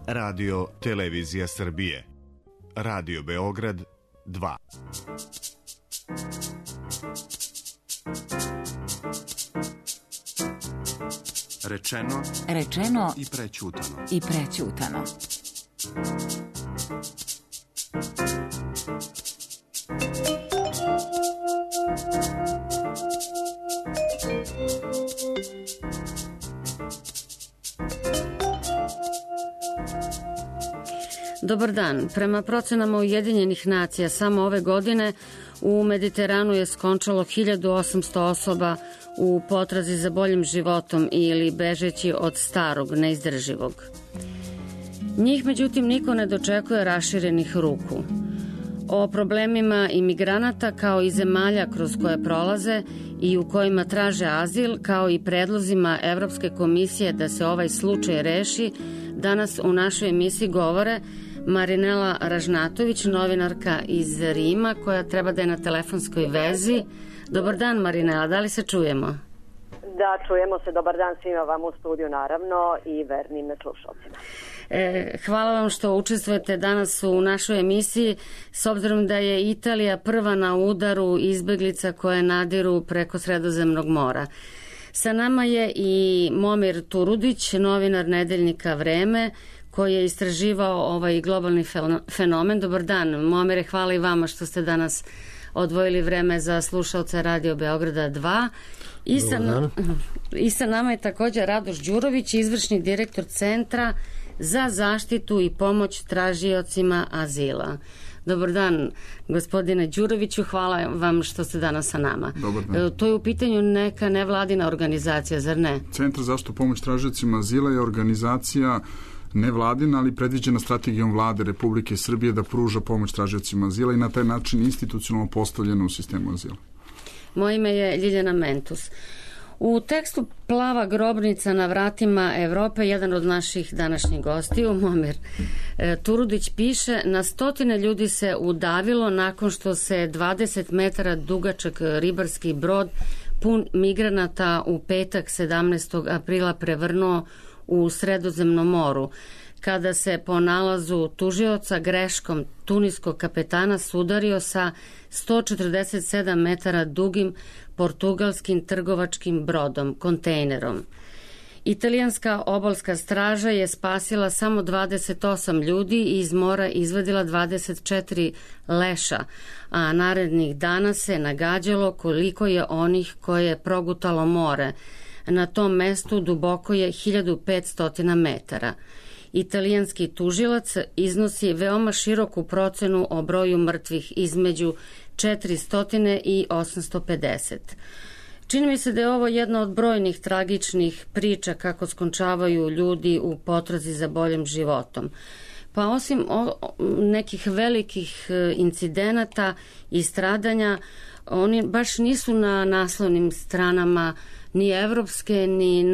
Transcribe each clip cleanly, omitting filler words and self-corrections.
Radio Televizija Srbije. Radio Beograd 2. Rečeno i prećutano. Dobar dan. Prema procenama Ujedinjenih nacija, samo ove godine u Mediteranu je skončalo 1800 osoba u potrazi za boljim životom ili bežeći od starog, neizdrživog. Njih, međutim, niko ne dočekuje raširenih ruku. O problemima imigranata kao i zemalja kroz koje prolaze i u kojima traže azil, kao i predlozima Evropske komisije da se ovaj slučaj reši, danas u našoj emisiji govore Marinela Ražnatović, novinarka iz Rima, koja treba da je na telefonskoj vezi. Dobar dan, Marinela, da li se čujemo? Da, čujemo se. Dobar dan svima vam u studiju, naravno, i vernim slušalcima. Hvala vam što učestvujete danas u našoj emisiji, s obzirom da je Italija prva na udaru izbeglica koje nadiru preko Sredozemnog mora. Sa nama je i Momir Turudić, novinar nedeljnika Vreme, koji je istraživao ovaj globalni fenomen. Dobar dan, Momire, hvala i vama što ste danas odvojili vreme za slušalce Radio Beograda 2. I sa nama je također Radoš Đurović, izvršni direktor Centra za zaštitu i pomoć tražiocima azila. Dobar dan, gospodine Đuroviću, hvala vam što ste danas sa nama. Dobar dan. To je u pitanju neka nevladina organizacija, zar ne? Centar za zaštitu i pomoć tražiocima azila je organizacija nevladina, ali predviđena strategijom vlade Republike Srbije da pruža pomoć tražiocima azila i na taj način institucionalno postavljena u sistemu azila. Moje ime je Ljiljana Mentus. U tekstu Plava grobnica na vratima Evrope, jedan od naših današnjih gostiju, Momir Turudić, piše: na stotine ljudi se udavilo nakon što se 20 metara dugačak ribarski brod pun migranata u petak 17. aprila prevrnuo u Sredozemnom moru, kada se po nalazu tužioca greškom tuniskog kapetana sudario sa 147 metara dugim portugalskim trgovačkim brodom, kontejnerom. Italijanska obalska straža je spasila samo 28 ljudi i iz mora izvadila 24 leša, a narednih dana se nagađalo koliko je onih koje je progutalo more. Na tom mestu duboko je 1500 metara. Italijanski tužilac iznosi veoma široku procenu o broju mrtvih, između 400 i 850. Čini mi se da je ovo jedna od brojnih tragičnih priča kako skončavaju ljudi u potrazi za boljim životom. Pa osim nekih velikih incidenata i stradanja, oni baš nisu na naslovnim stranama ni evropske, ni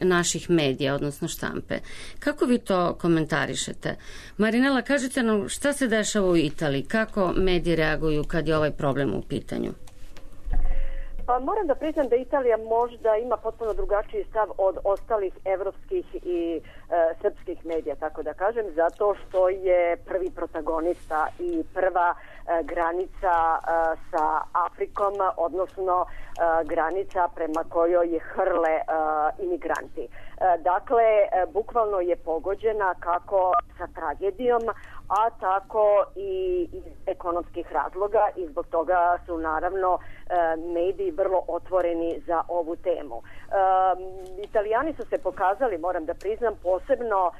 naših medija, odnosno štampe. Kako vi to komentarišete? Marinela, kažite nam šta se dešava u Italiji, kako mediji reaguju kad je ovaj problem u pitanju? Pa moram da priznam da Italija možda ima potpuno drugačiji stav od ostalih evropskih i srpskih medija, tako da kažem, zato što je prvi protagonista i prva granica sa Afrikom, odnosno granica prema kojoj je hrle imigranti. Dakle, bukvalno je pogođena kako sa tragedijom, a tako i iz ekonomskih razloga, i zbog toga su naravno mediji vrlo otvoreni za ovu temu. Italijani su se pokazali, moram da priznam, posebno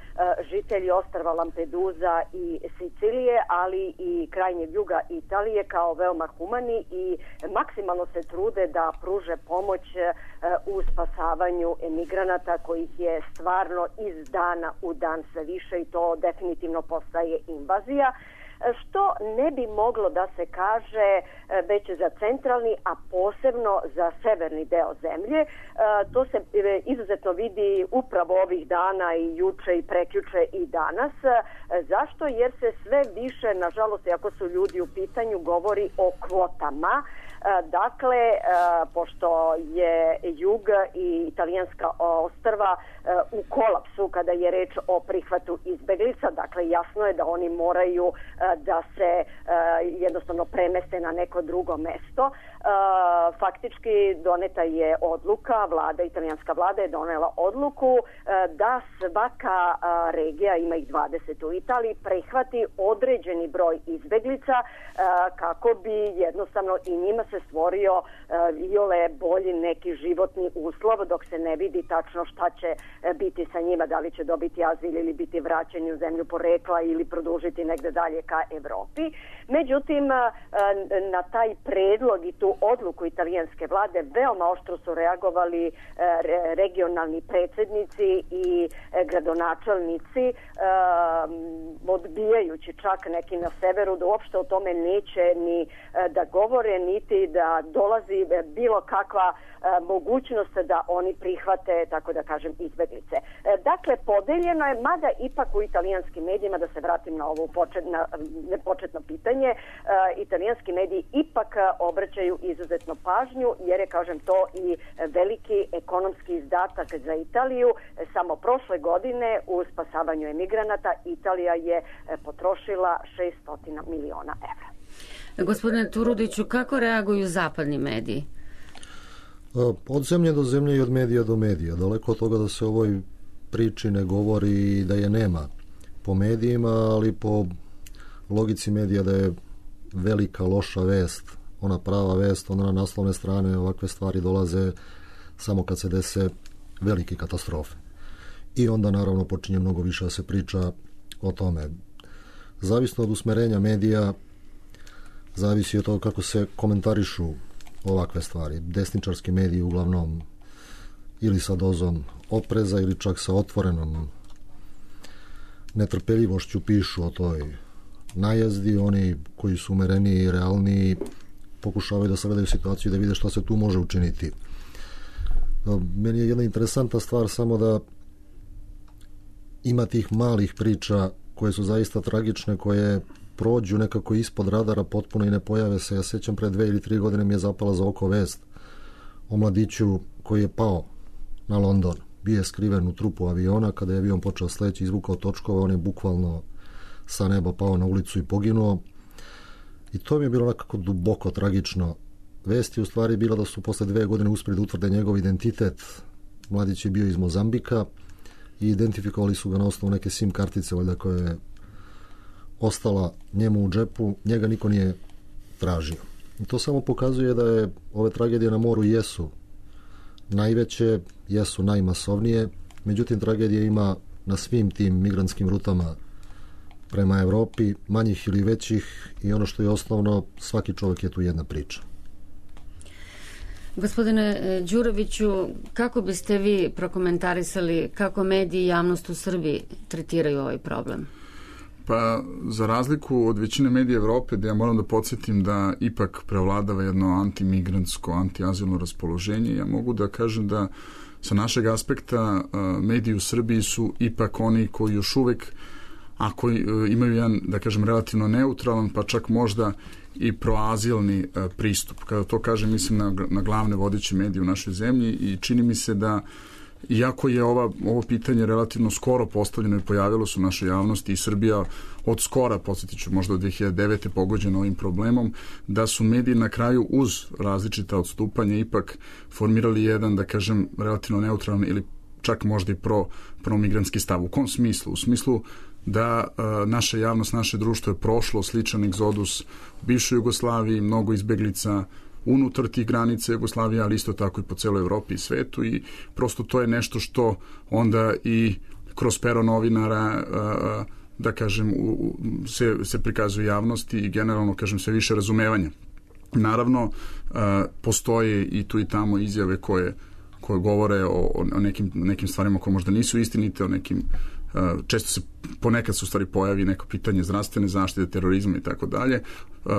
žitelji ostrva Lampedusa i Sicilije, ali i krajnjeg juga Italije, kao veoma humani i maksimalno se trude da pruže pomoć u spasavanju emigranata, kojih je stvarno iz dana u dan sve više, i to definitivno postaje invazija, što ne bi moglo da se kaže već za centralni, a posebno za severni deo zemlje. To se izuzetno vidi upravo ovih dana, i juče i prekjuče i danas. Zašto? Jer se sve više, nažalost, ako su ljudi u pitanju, govori o kvotama. Dakle, pošto je jug i italijanska ostrva u kolapsu kada je reč o prihvatu izbeglica, dakle jasno je da oni moraju da se jednostavno premeste na neko drugo mesto. Faktički doneta je odluka, italijanska vlada je donela odluku da svaka regija, ima ih 20 u Italiji, prihvati određeni broj izbeglica kako bi jednostavno i njima se stvorio iole bolji neki životni uslov, dok se ne vidi tačno šta će biti sa njima, da li će dobiti azil ili biti vraćeni u zemlju porekla ili produžiti negde dalje ka Evropi. Međutim, na taj predlog i tu odluku italijanske vlade veoma oštro su reagovali regionalni predsjednici i gradonačelnici, odbijajući čak neki na severu da uopšte o tome neće ni da govore, niti da dolazi bilo kakva mogućnost da oni prihvate, tako da kažem, izbeglice. Dakle, podeljeno je, mada ipak u italijanskim medijima, da se vratim na ovo početno pitanje, italijanski mediji ipak obraćaju izuzetno pažnju, jer je, kažem, to i veliki ekonomski izdatak za Italiju. Samo prošle godine u spasavanju emigranata Italija je potrošila 600 miliona evra. Gospodine Turudiću, kako reaguju zapadni mediji? Od zemlje do zemlje i od medija do medija. Daleko od toga da se o ovoj priči ne govori i da je nema po medijima, ali po logici medija da je velika loša vest, ona prava vest, ona na naslovne strane, ovakve stvari dolaze samo kad se dese velike katastrofe. I onda naravno počinje mnogo više da se priča o tome. Zavisno od usmerenja medija, zavisi od toga kako se komentarišu ovakve stvari. Desničarski mediji uglavnom ili sa dozom opreza ili čak sa otvorenom netrpeljivošću pišu o toj najezdi. Oni koji su umereniji i realniji pokušavaju da sagledaju situaciju i da vide šta se tu može učiniti. Meni je jedna interesantna stvar samo da ima tih malih priča koje su zaista tragične, koje prođu nekako ispod radara potpuno i ne pojave se. Ja sećam pre 2 ili 3 godine mi je zapala za oko vest o mladiću koji je pao na London. Bio je skriven u trupu aviona, kada je avion počeo sleći, izvukao točkova, on je bukvalno sa neba pao na ulicu i poginuo. I to mi je bilo nekako duboko tragično. Vest je u stvari bila da su posle 2 godine uspjeli da utvrde njegov identitet. Mladić je bio iz Mozambika i identifikovali su ga na osnovu neke SIM kartice, valjda, koja je ostala njemu u džepu, njega niko nije tražio. I to samo pokazuje da je ove tragedije na moru jesu najveće, jesu najmasovnije, međutim tragedije ima na svim tim migrantskim rutama prema Evropi, manjih ili većih, i ono što je osnovno, svaki čovjek je tu jedna priča. Gospodine Đuroviću, kako biste vi prokomentarisali kako mediji i javnost u Srbiji tretiraju ovaj problem? Pa, za razliku od većine medija Evrope, da ja moram da podsjetim da ipak prevladava jedno antimigrantsko, antiazilno raspoloženje, ja mogu da kažem da sa našeg aspekta mediji u Srbiji su ipak oni koji još uvek, ako imaju jedan, da kažem, relativno neutralan, pa čak možda i proazilni pristup. Kada to kažem, mislim na glavne vodeće medije u našoj zemlji, i čini mi se da, iako je ovo pitanje relativno skoro postavljeno i pojavilo se u našoj javnosti, i Srbija od skora, podsjetit ću, možda od 2009. pogođena ovim problemom, da su mediji na kraju uz različita odstupanja ipak formirali jedan, da kažem, relativno neutralan ili čak možda i promigrantski stav. U kom smislu? U smislu da naša javnost, naše društvo je prošlo sličan egzodus u bivšoj Jugoslaviji, mnogo izbeglica unutar tih granica Jugoslavije, ali isto tako i po celoj Evropi i svetu, i prosto to je nešto što onda i kroz pero novinara, da kažem, se prikazuje javnosti i generalno, kažem, sve više razumevanja. Naravno, postoje i tu i tamo izjave koje govore o nekim stvarima koje možda nisu istinite, o nekim često se ponekad se u stvari pojavi neko pitanje zdravstvene zaštite, terorizma i tako dalje,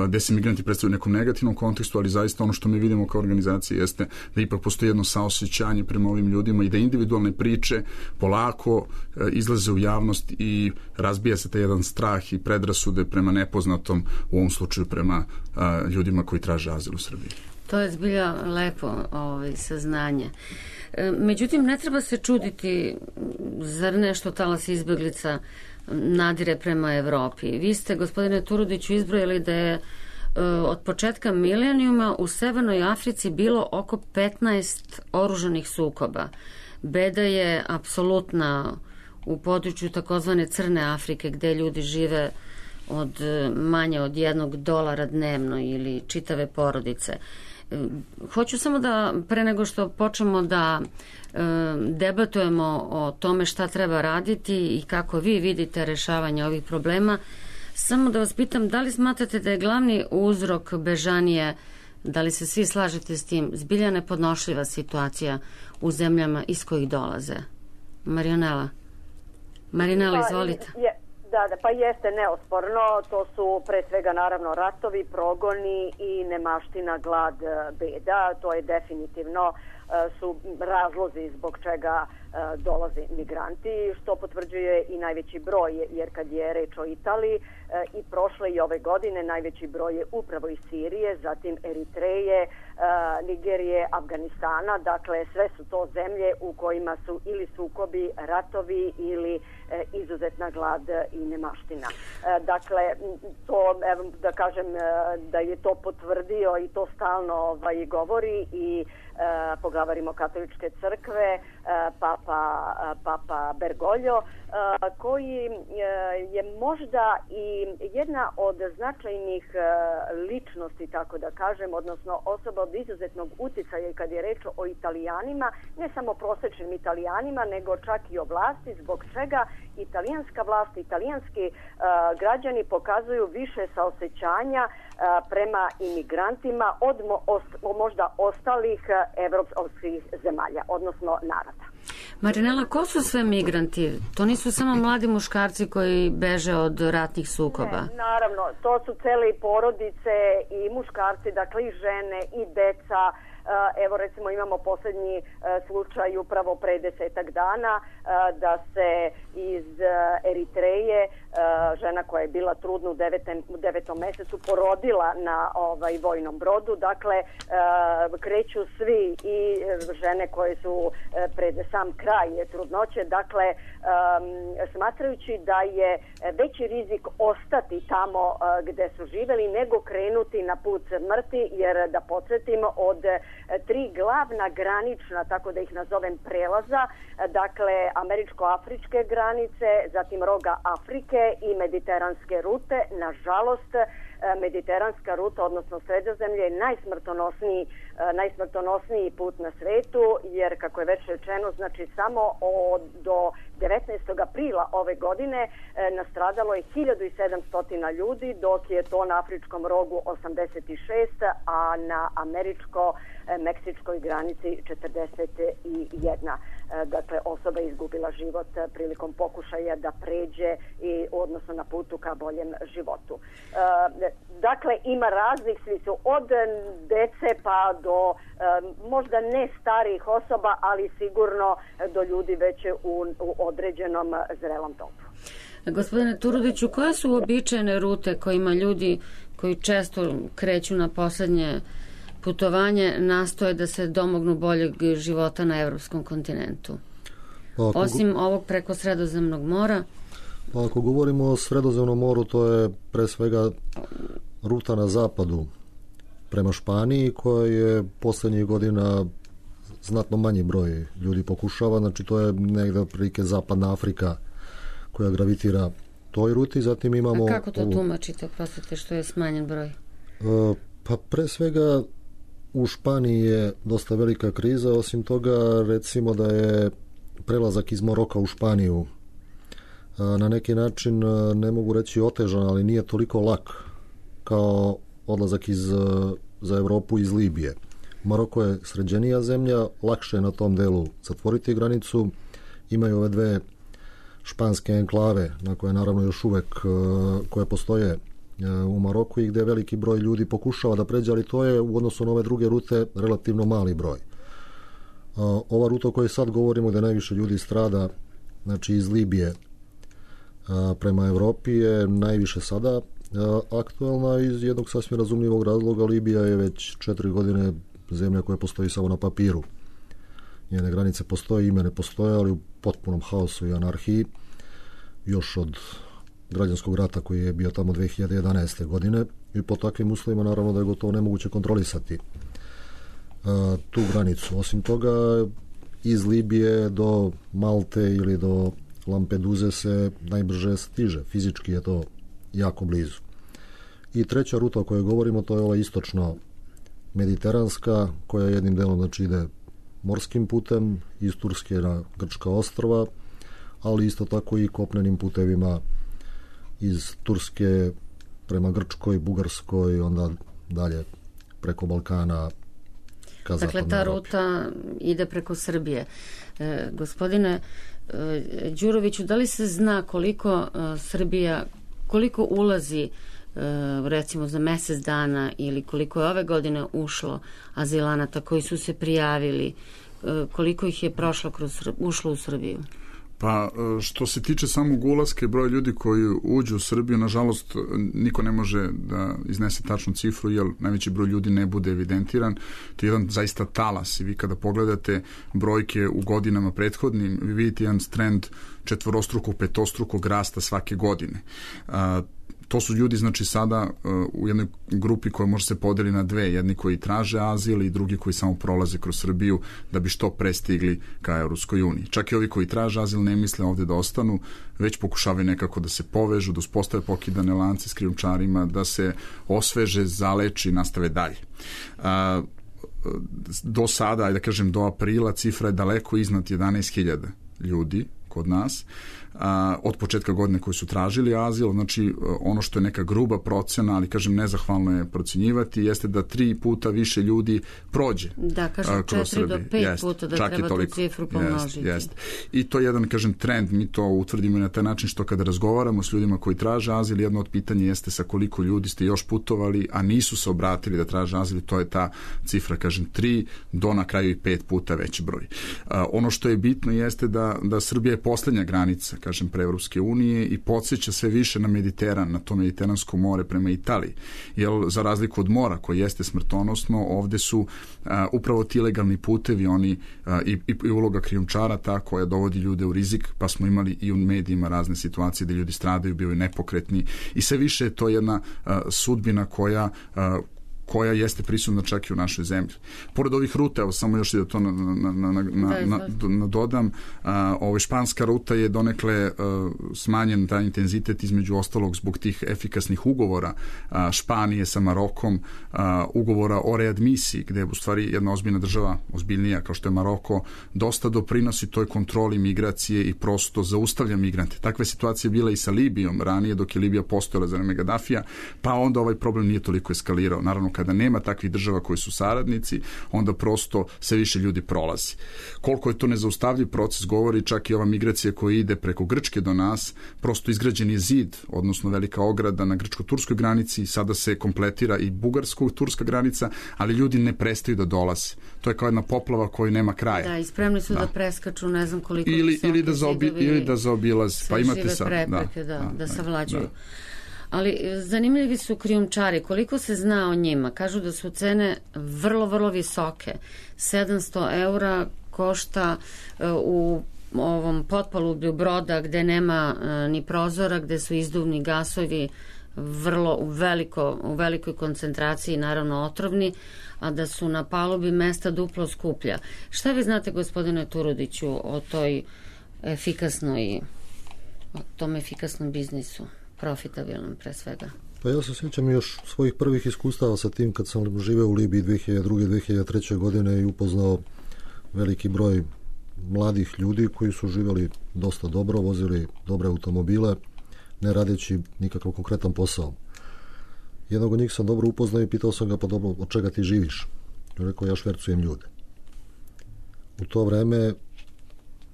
gde se migranti predstavljaju u nekom negativnom kontekstu, ali zaista ono što mi vidimo kao organizacija jeste da ipak postoji jedno saosećanje prema ovim ljudima i da individualne priče polako izlaze u javnost i razbija se taj jedan strah i predrasude prema nepoznatom, u ovom slučaju prema ljudima koji traže azil u Srbiji. To je zbilja lepo saznanje. Međutim, ne treba se čuditi, zar nešto talas izbeglica nadire prema Evropi. Vi ste, gospodine Turudiću, izbrojili da je od početka milenijuma u Severnoj Africi bilo oko 15 oružanih sukoba. Beda je apsolutna u području takozvane Crne Afrike, gde ljudi žive od manje od $1 dnevno ili čitave porodice. Hoću samo da, pre nego što počnemo da debatujemo o tome šta treba raditi i kako vi vidite rešavanje ovih problema, samo da vas pitam, da li smatrate da je glavni uzrok bežanije, da li se svi slažete s tim, zbilja nepodnošljiva situacija u zemljama iz kojih dolaze? Marinela, izvolite. Da, pa jeste neosporno, to su pre svega naravno ratovi, progoni i nemaština, glad, beda, to je definitivno su razlozi zbog čega dolaze migranti, što potvrđuje i najveći broj, jer kad je reč o Italiji i prošle i ove godine najveći broj je upravo iz Sirije, zatim Eritreje, Nigerije, Afganistana, dakle sve su to zemlje u kojima su ili sukobi, ratovi ili izuzetna glad i nemaština. Dakle, to, da kažem da je to potvrdio i to stalno govori i poglavar Rimokatoličke crkve, Papa Bergoglio, koji je možda i jedna od značajnih ličnosti, tako da kažem, odnosno osoba od izuzetnog uticaja kad je reč o Italijanima, ne samo prosečnim Italijanima, nego čak i o vlasti, zbog čega italijanska vlast, italijanski građani pokazuju više saosećanja prema imigrantima od možda ostalih evropskih zemalja, odnosno naroda. Marinela, ko su sve migranti? To nisu samo mladi muškarci koji beže od ratnih sukoba. Ne, naravno, to su cele porodice i muškarci, dakle i žene i deca. Evo recimo imamo poslednji slučaj upravo pre 10 dana da se iz Eritreje žena koja je bila trudna u 9. mesecu porodila na vojnom brodu. Dakle, kreću svi i žene koje su pred sam kraj trudnoće. Dakle, smatrajući da je veći rizik ostati tamo gde su živeli nego krenuti na put smrti, jer da podsjetim od 3 glavna granična, tako da ih nazovem, prelaza, dakle američko-afričke granice, zatim roga Afrike i mediteranske rute. Nažalost, mediteranska ruta, odnosno Sredozemlje, je najsmrtonosniji put na svetu, jer kako je već rečeno, znači samo do 19. aprila ove godine nastradalo je 1700 ljudi, dok je to na afričkom rogu 86, a na američko-meksičkoj granici 41. Dakle, osoba je izgubila život prilikom pokušaja da pređe odnosno na putu ka boljem životu. Dakle, ima raznih, svi su od dece pa do možda ne starijih osoba, ali sigurno do ljudi već u određenom zrelom dobu. Gospodine Turudiću, koje su uobičajene rute kojima ljudi koji često kreću na poslednje putovanje nastoje da se domognu boljeg života na evropskom kontinentu? Osim ovog preko Sredozemnog mora? Pa ako govorimo o Sredozemnom moru, to je pre svega ruta na zapadu prema Španiji, koja je poslednjih godina znatno manji broj ljudi pokušava, znači to je negde prilike Zapadna Afrika koja gravitira toj ruti. Zatim imamo... A kako to tumačite, oprostite, što je smanjen broj? Pa pre svega u Španiji je dosta velika kriza, osim toga recimo da je prelazak iz Maroka u Španiju na neki način, ne mogu reći otežan, ali nije toliko lak kao odlazak za Evropu iz Libije. Maroko je sređenija zemlja, lakše je na tom delu zatvoriti granicu, imaju ove dve španske enklave, na koje naravno još uvek koje postoje u Maroku i gde veliki broj ljudi pokušava da pređe, ali to je u odnosu na ove druge rute relativno mali broj. Ova ruta o kojoj sad govorimo, gde najviše ljudi strada, znači iz Libije prema Evropi, je najviše sada aktualna iz jednog sasvim razumljivog razloga. Libija je već 4 godine zemlja koja postoji samo na papiru. Njene granice postoje, ime ne postoje, ali u potpunom haosu i anarhiji još od građanskog rata koji je bio tamo 2011. godine i po takvim uslovima naravno da je gotovo nemoguće kontrolisati tu granicu. Osim toga, iz Libije do Malte ili do Lampeduze se najbrže stiže. Fizički je to jako blizu. I treća ruta o kojoj govorimo, to je ova istočno-mediteranska, koja jednim delom znači ide morskim putem iz Turske na Grčka ostrva, ali isto tako i kopnenim putevima iz Turske prema Grčkoj, Bugarskoj, onda dalje preko Balkana ka zapadnoj Dakle, ta Evropi. ruta ide preko Srbije. Gospodine Đuroviću, da li se zna koliko Srbija, koliko ulazi recimo za mesec dana ili koliko je ove godine ušlo azilanata koji su se prijavili, koliko ih je ušlo u Srbiju? Pa što se tiče samog ulaska i broja ljudi koji uđu u Srbiju, nažalost niko ne može da iznese tačnu cifru, jer najveći broj ljudi ne bude evidentiran. To je jedan zaista talas i vi kada pogledate brojke u godinama prethodnim, vi vidite jedan trend četvorostrukog, petostrukog rasta svake godine. To su ljudi, znači, sada u jednoj grupi koja može se podeli na dve, jedni koji traže azil i drugi koji samo prolaze kroz Srbiju da bi što pre stigli ka Evropskoj uniji. Čak i ovi koji traže azil ne misle ovde da ostanu, već pokušavaju nekako da se povežu, da uspostave pokidane lance s krijumčarima, da se osveže, zaleči i nastave dalje. Do sada, ajde da kažem do aprila, cifra je daleko iznad 11.000 ljudi kod nas, od početka godine koji su tražili azil. Znači ono što je neka gruba procena, ali kažem nezahvalno je procenjivati, jeste da 3 puta više ljudi prođe. Da, kažem 4 do 5 puta da treba tu cifru pomnožiti. Jest. I to je jedan, kažem, trend, mi to utvrdimo na taj način što kada razgovaramo s ljudima koji traže azil, jedno od pitanja jeste sa koliko ljudi ste još putovali, a nisu se obratili da traže azil, to je ta cifra, kažem, 3 do na kraju i 5 puta veći broj. Ono što je bitno jeste da Srbija je poslednja granica, kažem, pre Evropske unije i podsjeća sve više na Mediteran, na to Mediteransko more prema Italiji. Jer za razliku od mora koje jeste smrtonosno, ovde su upravo ti ilegalni putevi, oni i uloga krijumčara ta koja dovodi ljude u rizik, pa smo imali i u medijima razne situacije gde ljudi stradaju, bivaju nepokretni i sve više je to jedna sudbina koja jeste prisutna čak i u našoj zemlji. Pored ovih ruta, evo samo još da to dodam, španska ruta je donekle smanjen taj intenzitet, između ostalog zbog tih efikasnih ugovora Španije sa Marokom, ugovora o readmisiji, gde je u stvari jedna ozbiljna država, ozbiljnija kao što je Maroko, dosta doprinosi toj kontroli migracije i prosto zaustavlja migrante. Takve situacije bila i sa Libijom ranije, dok je Libija postojala za vreme Gadafija, pa onda ovaj problem nije toliko eskalirao. Naravno, kada nema takvih država koji su saradnici, onda prosto sve više ljudi prolazi. Koliko je to nezaustavljiv proces, govori čak i ova migracija koja ide preko Grčke do nas, prosto izgrađen je zid, odnosno velika ograda na grčko-turskoj granici, sada se kompletira i bugarsko-turska granica, ali ljudi ne prestaju da dolaze. To je kao jedna poplava koja nema kraja. Da, i spremni su da preskaču, ne znam koliko ili da zaobilaze. Pa imate sad. Prepreke, da savlađuju. Ali zanimljivi su krijumčari. Koliko se zna o njima? Kažu da su cene vrlo, vrlo visoke. 700 eura košta u ovom potpalublju broda gde nema ni prozora, gde su izduvni gasovi vrlo u velikoj koncentraciji, naravno otrovni, a da su na palubi mesta duplo skuplja. Šta vi znate, gospodine Turudiću, o tom efikasnom biznisu? Profitabilnom pre svega. Pa ja se sjećam još svojih prvih iskustava sa tim kad sam živeo u Libiji 2002. 2003. godine i upoznao veliki broj mladih ljudi koji su živjeli dosta dobro, vozili dobre automobile, ne radeći nikakav konkretan posao. Jednog od njih sam dobro upoznao i pitao sam ga, pa dobro, od čega ti živiš? I rekao, ja švercujem ljude. U to vreme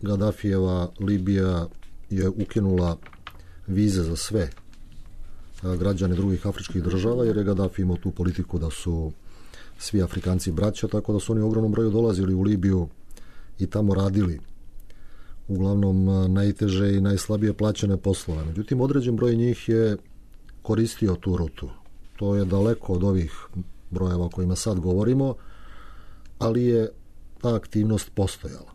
Gadafijeva Libija je ukinula vize za sve građane drugih afričkih država, jer je Gaddafi imao tu politiku da su svi Afrikanci braća, tako da su oni u ogromnom broju dolazili u Libiju i tamo radili uglavnom najteže i najslabije plaćene poslove. Međutim, određen broj njih je koristio tu rutu. To je daleko od ovih brojeva o kojima sad govorimo, ali je ta aktivnost postojala.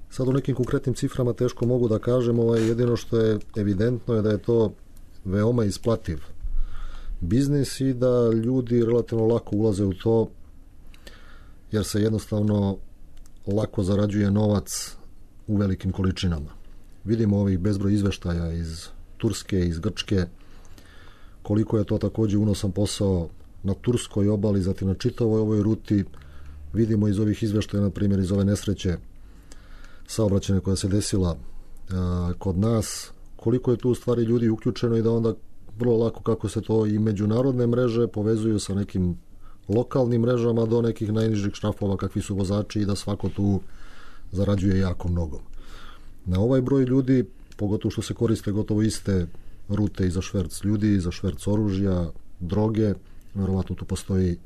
Sad u nekim konkretnim ciframa teško mogu da kažem, jedino što je evidentno je da je to veoma isplativ biznis i da ljudi relativno lako ulaze u to, jer se jednostavno lako zarađuje novac u velikim količinama. Vidimo ovih bezbroj izveštaja iz Turske, iz Grčke, koliko je to također unosan posao na turskoj obali, zatim na čitavoj ovoj ruti. Vidimo iz ovih izveštaja, na primjer iz ove nesreće saobraćajne koja se desila kod nas, koliko je tu u stvari ljudi uključeno i da onda vrlo lako kako se to i međunarodne mreže povezuju sa nekim lokalnim mrežama do nekih najnižih šrafova kakvi su vozači i da svako tu zarađuje jako mnogo. Na ovaj broj ljudi, pogotovo što se koriste gotovo iste rute i za šverc ljudi, i za šverc oružja, droge, verovatno tu postoji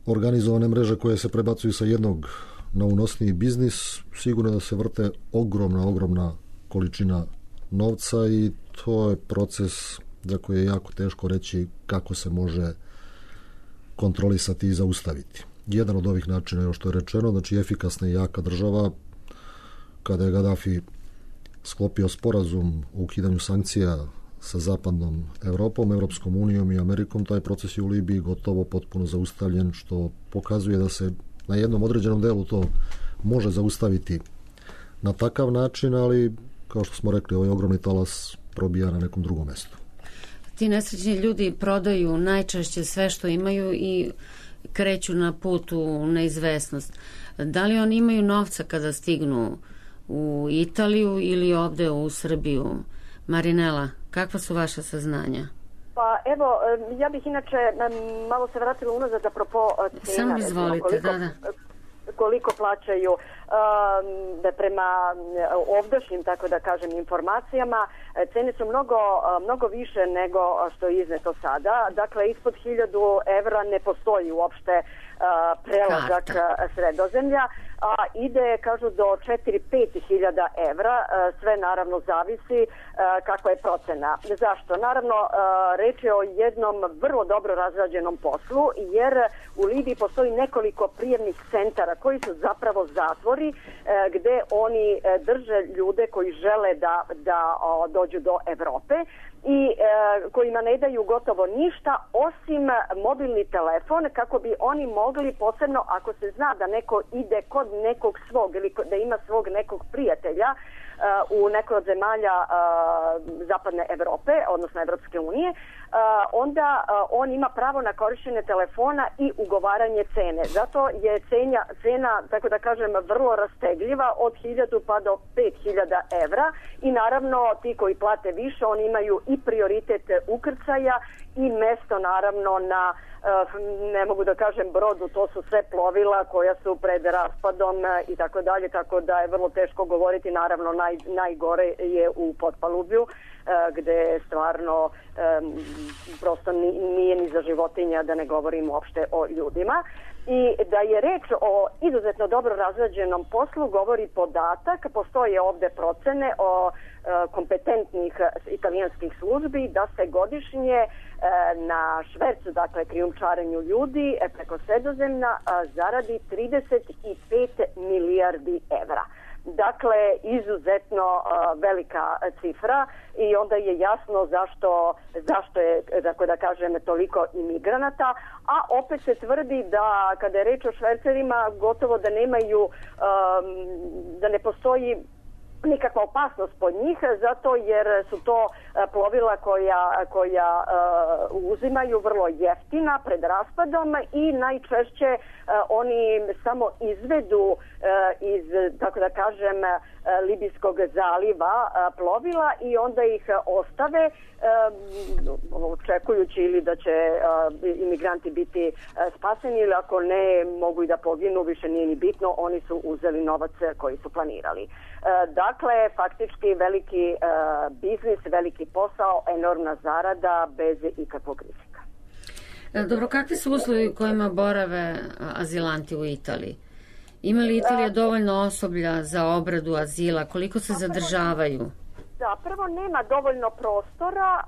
organizovane mreže koje se prebacuju sa jednog na unosniji biznis, sigurno da se vrte ogromna količina novca i to je proces za koji je jako teško reći kako se može kontrolisati i zaustaviti. Jedan od ovih načina je što je rečeno, znači efikasna i jaka država. Kada je Gaddafi sklopio sporazum o ukidanju sankcija sa zapadnom Evropom, Evropskom unijom i Amerikom, taj proces je u Libiji gotovo potpuno zaustavljen, što pokazuje da se na jednom određenom delu to može zaustaviti na takav način, ali kao što smo rekli, ovaj ogromni talas probija na nekom drugom mestu. Ti nesrećni ljudi prodaju najčešće sve što imaju i kreću na put u neizvesnost. Da li oni imaju novca kada stignu u Italiju ili ovde u Srbiju? Marinela, kakva su vaša saznanja? Pa evo, ja bih inače malo se vratila unazad apropo cena. Samo izvolite, koliko plaćaju prema ovdašnjim, tako da kažem, informacijama. Cene su mnogo više nego što je izneto sada. Dakle, ispod 1000 evra ne postoji uopšte prelazak Sredozemlja, a ide, kažu, do 4-5 hiljada evra, sve naravno zavisi kakva je procena. Zašto? Naravno, reč je o jednom vrlo dobro razrađenom poslu, jer u Libiji postoji nekoliko prijemnih centara koji su zapravo zatvori gde oni drže ljude koji žele da dođu do Evrope i kojima ne daju gotovo ništa osim mobilni telefon, kako bi oni mogli, posebno ako se zna da neko ide kod nekog svog ili da ima svog nekog prijatelja u nekoj od zemalja zapadne Evrope, odnosno Evropske unije, onda on ima pravo na korišćenje telefona i ugovaranje cene. Zato je cena, tako da kažem, vrlo rastegljiva od 1000 pa do 5000 evra i naravno ti koji plate više, oni imaju i prioritet ukrcaja i mesto naravno na, ne mogu da kažem brodu, to su sve plovila koja su pred raspadom i tako dalje, tako da je vrlo teško govoriti. Naravno najgore je u potpalubju gde stvarno prosto nije ni za životinja, da ne govorim uopšte o ljudima. I da je reč o izuzetno dobro razrađenom poslu govori podatak, postoje ovde procene o kompetentnih italijanskih službi da se godišnje na švercu, dakle krijumčarenju ljudi preko Sredozemlja zaradi 35 milijardi evra. Dakle, izuzetno velika cifra i onda je jasno zašto je, tako da kažem, toliko imigranata, a opet se tvrdi da kada je reč o švercerima gotovo da nemaju, da ne postoji nikakva opasnost pod njih, zato jer su to plovila koja uzimaju vrlo jeftina pred raspadom i najčešće oni samo izvedu iz, tako da kažem, Libijskog zaliva plovila i onda ih ostave očekujući ili da će imigranti biti spaseni ili ako ne mogu i da poginu, više nije ni bitno, oni su uzeli novac koji su planirali. Dakle, faktički veliki biznis, veliki posao, enormna zarada bez ikakvog rizika. Dobro, kakvi su uslovi u kojima borave azilanti u Italiji? Ima li Italija dovoljno osoblja za obradu azila? Koliko se zadržavaju? Da, prvo nema dovoljno prostora,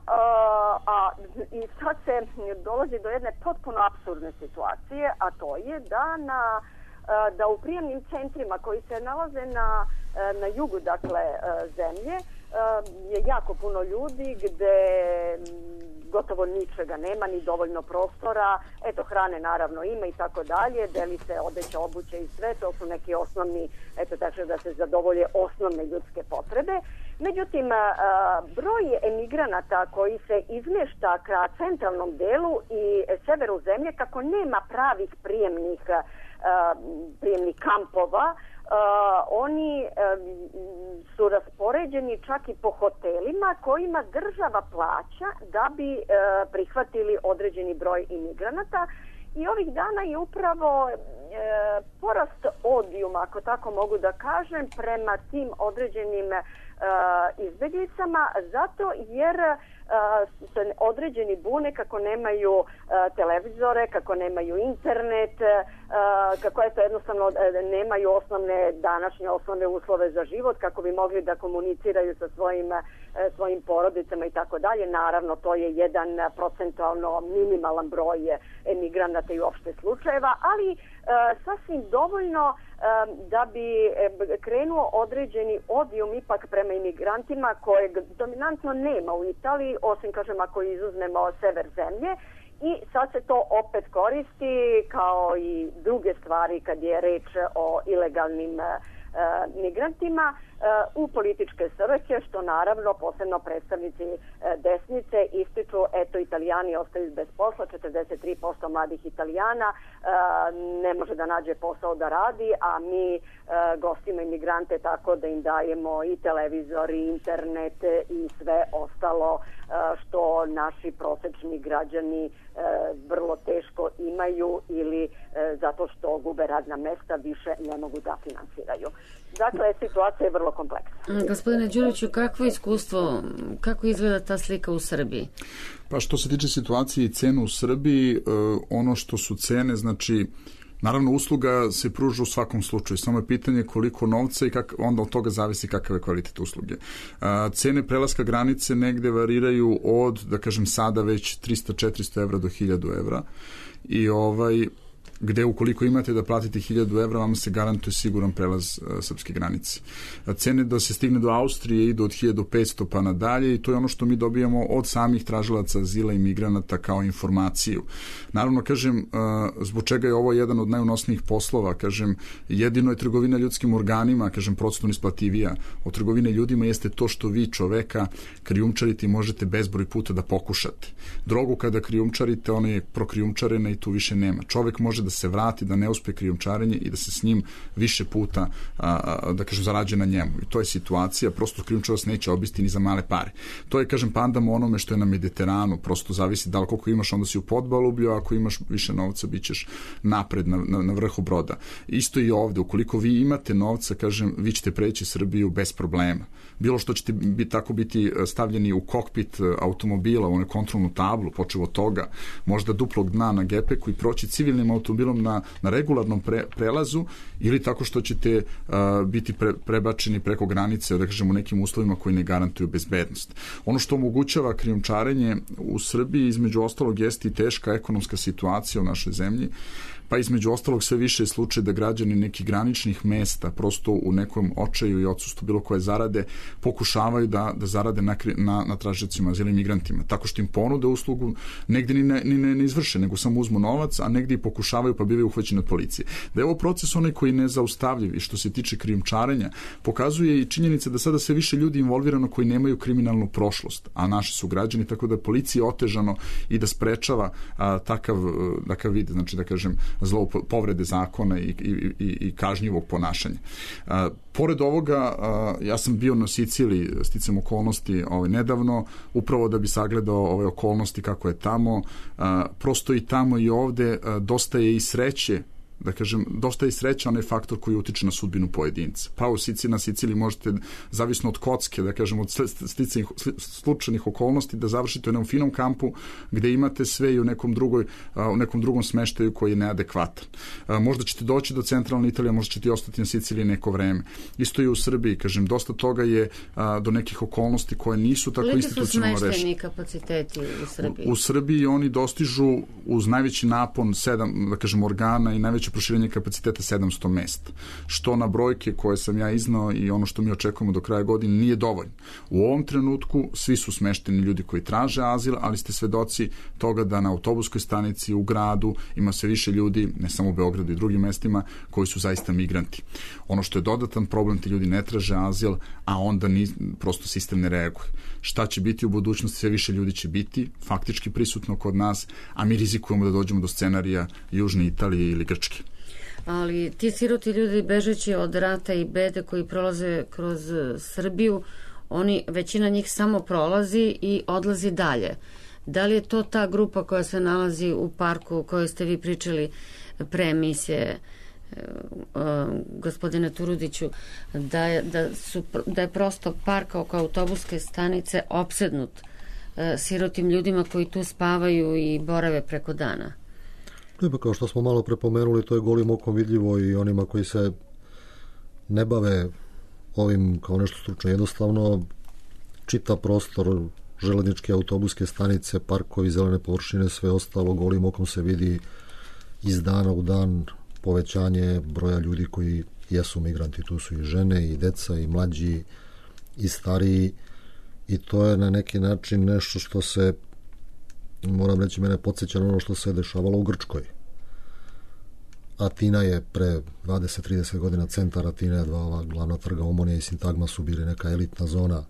i sad se dolazi do jedne potpuno apsurdne situacije, a to je da u prijemnim centrima koji se nalaze na jugu, dakle, zemlje, je jako puno ljudi gde gotovo ničega nema, ni dovoljno prostora, eto hrane naravno ima i tako dalje, deli se odeća, obuće i sve, to su neki osnovni, eto tako da se zadovolje osnovne ljudske potrebe. Međutim, broj emigranata koji se izmješta ka centralnom delu i severu zemlje, kako nema pravih prijemnih kampova, oni su raspoređeni čak i po hotelima kojima država plaća da bi prihvatili određeni broj imigranata. I ovih dana je upravo porast odijuma, ako tako mogu da kažem, prema tim određenim izbjeglicama, zato jer se određeni bune kako nemaju televizore, kako nemaju internet, kako eto jednostavno nemaju današnje osnovne uslove za život, kako bi mogli da komuniciraju sa svojim porodicama i tako dalje. Naravno, to je jedan procentualno minimalan broj emigranata i uopšte slučajeva, ali sasvim dovoljno da bi krenuo određeni odijum ipak prema imigrantima kojeg dominantno nema u Italiji, osim, kažem, ako izuzmemo sever zemlje. I sad se to opet koristi kao i druge stvari kad je reč o ilegalnim migrantima u političke svrhe, što naravno posebno predstavnici desnice ističu, eto, Italijani ostaju bez posla, 43% mladih Italijana ne može da nađe posao da radi, a mi gostimo imigrante tako da im dajemo i televizor, i internet i sve ostalo što naši prosečni građani vrlo teško imaju ili zato što gube radna mesta više ne mogu da finansiraju. Dakle, situacija je vrlo kompleksna. Gospodine Đuriću, kakvo iskustvo, kako izgleda ta slika u Srbiji? Pa što se tiče situacije i cenu u Srbiji, ono što su cene, znači, naravno usluga se pruža u svakom slučaju, samo je pitanje koliko novca i onda od toga zavisi kakav je kvalitet usluge. Cene prelaska granice negde variraju od, da kažem sada već 300-400 evra do 1000 evra i gde ukoliko imate da platite 1000 evra, vam se garantuje siguran prelaz srpske granice. Cene da se stigne do Austrije idu od 1500 pa nadalje i to je ono što mi dobijamo od samih tražilaca azila i migranata kao informaciju. Naravno, kažem, zbog čega je ovo jedan od najunosnijih poslova, kažem, jedino je trgovina ljudskim organima, kažem, procentno isplativija od trgovine ljudima jeste to što vi čoveka krijumčarite i možete bezbroj puta da pokušate. Drogu kada krijumčarite, ona je prokrijumčarena i tu više nema. Čovek može da se vrati, da ne uspe krijumčarenje i da se s njim više puta, da kažem, zarađuje na njemu. I to je situacija, prosto krijumčar vas neće obiti ni za male pare. To je, kažem, pandamo onome što je na Mediteranu, prosto zavisi da li koliko imaš, onda si u podbalublju, a ako imaš više novca, bit ćeš napred na vrhu broda. Isto i ovde, ukoliko vi imate novca, kažem, vi ćete preći Srbiju bez problema. Bilo što ćete tako biti stavljeni u kokpit automobila, u onu kontrolnu tablu, počev od toga, možda duplog dna na gepeku i proći civilnim automobilom na regularnom prelazu ili tako što ćete biti prebačeni preko granice, da kažem, u nekim uslovima koji ne garantuju bezbednost. Ono što omogućava krijumčarenje u Srbiji, između ostalog, jeste i teška ekonomska situacija u našoj zemlji, pa između ostalog sve više je slučaj da građani nekih graničnih mesta prosto u nekom očaju i odsustvu bilo koje zarade pokušavaju da zarade na tražicima azila i migrantima, tako što im ponude uslugu, negde ne izvrše, nego samo uzmu novac, a negde i pokušavaju pa bivaju uhvaćeni od policije. Da je ovo proces onaj koji ne zaustavljiv i što se tiče krijumčarenja, pokazuje i činjenica da sada sve više ljudi involvirano koji nemaju kriminalnu prošlost, a naši su građani, tako da je policiji otežano i da sprečava takav vid, znači da kažem, povrede zakona i kažnjivog ponašanja. Pored ovoga, ja sam bio na Siciliji, sticam okolnosti nedavno, upravo da bi sagledao ove okolnosti kako je tamo, prosto i tamo i ovde dosta je i sreće, da kažem, dosta je sreća onaj faktor koji utiče na sudbinu pojedinca. Pa na Siciliji možete, zavisno od kocke, da kažem, od slučajnih okolnosti, da završite u jednom finom kampu gde imate sve i u nekom drugom smeštaju koji je neadekvatan. Možda ćete doći do centralne Italije, možda ćete ostati na Siciliji neko vreme. Isto i u Srbiji, kažem, dosta toga je do nekih okolnosti koje nisu tako institucionalno rešene. Koliki su smešteni kapaciteti u Srbiji? U Srbiji oni dostižu uz najveći napon 7, da kažem, organa i najveće proširenje kapaciteta 700 mesta, što na brojke koje sam ja iznao i ono što mi očekujemo do kraja godine nije dovoljno. U ovom trenutku svi su smešteni ljudi koji traže azil, ali ste svedoci toga da na autobuskoj stanici u gradu ima sve više ljudi, ne samo u Beogradu i drugim mestima, koji su zaista migranti. Ono što je dodatan problem, ti ljudi ne traže azil, a onda prosto sistem ne reaguje. Šta će biti u budućnosti? Sve više ljudi će biti faktički prisutno kod nas, a mi rizikujemo da dođemo do scenarija Južne Italije ili Grčke. Ali ti siroti ljudi bežeći od rata i bede koji prolaze kroz Srbiju, većina njih samo prolazi i odlazi dalje. Da li je to ta grupa koja se nalazi u parku o kojoj ste vi pričali pre emisije, gospodine Turudiću, da je prosto park oko autobuske stanice opsednut sirotim ljudima koji tu spavaju i borave preko dana? Pa kao što smo malo prepomenuli, to je golim okom vidljivo i onima koji se ne bave ovim kao nešto stručno. Jednostavno, čitav prostor, železničke, autobuske stanice, parkovi, zelene površine, sve ostalo golim okom se vidi iz dana u dan povećanje broja ljudi koji jesu migranti. Tu su i žene, i deca, i mlađi, i stariji, i to je na neki način nešto što se, moram reći, mene podsjeća na ono što se dešavalo u Grčkoj. Atina je pre 20-30 godina, centar Atine, ova glavna trga Omonija i Sintagma su bili neka elitna zona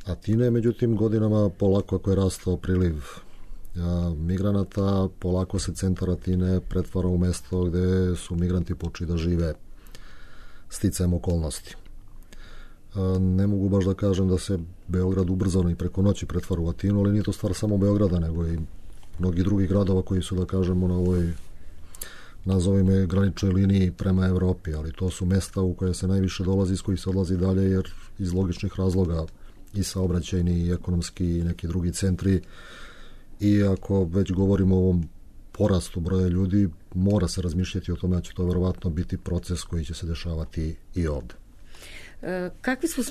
Atine, međutim godinama polako ako je rastao priliv migranata, polako se centar Atine pretvara u mesto gde su migranti počeli da žive sticajem okolnosti. Ne mogu baš da kažem da se Beograd ubrzano i preko noći pretvara u Atinu, ali nije to stvar samo Beograda, nego i mnogi drugih gradova koji su, da kažemo, na ovoj, nazovimo je, graničnoj liniji prema Evropi, ali to su mesta u koje se najviše dolazi, iz kojih se odlazi dalje, jer iz logičnih razloga i saobraćajni i ekonomski i neki drugi centri. I ako već govorimo o ovom porastu broja ljudi, mora se razmišljati o tome da će to verovatno biti proces koji će se dešavati i ovde. Kakvi su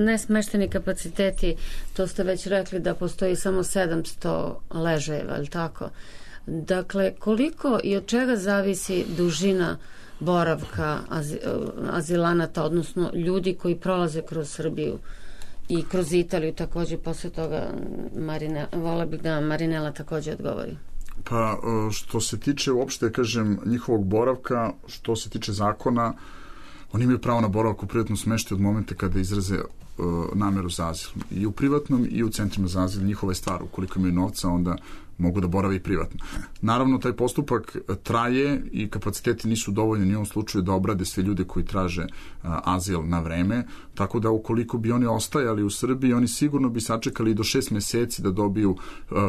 nesmešteni kapaciteti? To ste već rekli da postoji samo 700 ležajeva, je li tako? Dakle, koliko i od čega zavisi dužina boravka azilanata, odnosno ljudi koji prolaze kroz Srbiju i kroz Italiju takođe? Posle toga vola bih da Marinela takođe odgovori. Pa, što se tiče uopšte, kažem, njihovog boravka, što se tiče zakona, oni imaju pravo na boravak u privatnom smeštaju od momenta kada izraze nameru za azil. I u privatnom i u centrima za azil njihova je stvar. Ukoliko imaju novca, onda mogu da borave i privatno. Naravno, taj postupak traje i kapaciteti nisu dovoljni u ovom slučaju da obrade sve ljude koji traže azil na vreme, tako da ukoliko bi oni ostajali u Srbiji, oni sigurno bi sačekali do 6 meseci da dobiju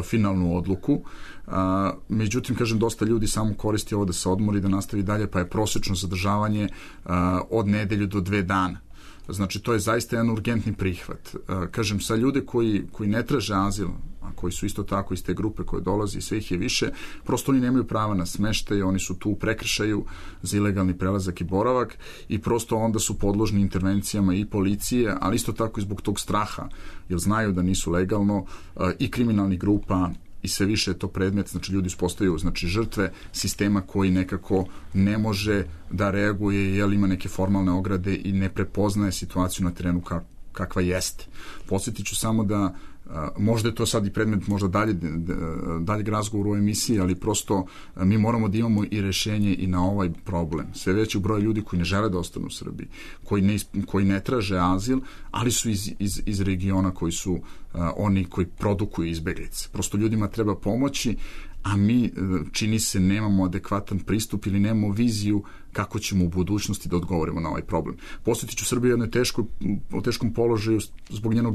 finalnu odluku. Međutim, kažem, dosta ljudi samo koristi ovo da se odmori, da nastavi dalje, pa je prosečno zadržavanje od nedelju do 2 dana. Znači, to je zaista jedan urgentni prihvat. Kažem, sa ljude koji ne traže azil, a koji su isto tako iz te grupe koje dolazi i sve ih je više, prosto oni nemaju prava na smeštaj, oni su tu u prekršaju za ilegalni prelazak i boravak i prosto onda su podložni intervencijama i policije, ali isto tako i zbog tog straha, jer znaju da nisu legalno, i kriminalnih grupa i sve više je to predmet, znači ljudi postaju žrtve sistema koji nekako ne može da reaguje jer ima neke formalne ograde i ne prepoznaje situaciju na terenu kakva jeste. Podsjetit ću samo da možda je to sad i predmet možda daljeg razgovora u emisiji, ali prosto mi moramo da imamo i rešenje i na ovaj problem. Sve veći broj ljudi koji ne žele da ostanu u Srbiji, koji ne traže azil, ali su iz regiona koji su oni koji produkuju izbeglice. Prosto ljudima treba pomoći, a mi, čini se, nemamo adekvatan pristup ili nemamo viziju kako ćemo u budućnosti da odgovorimo na ovaj problem. Posjetit ću Srbiju u jednoj teškom položaju zbog njenog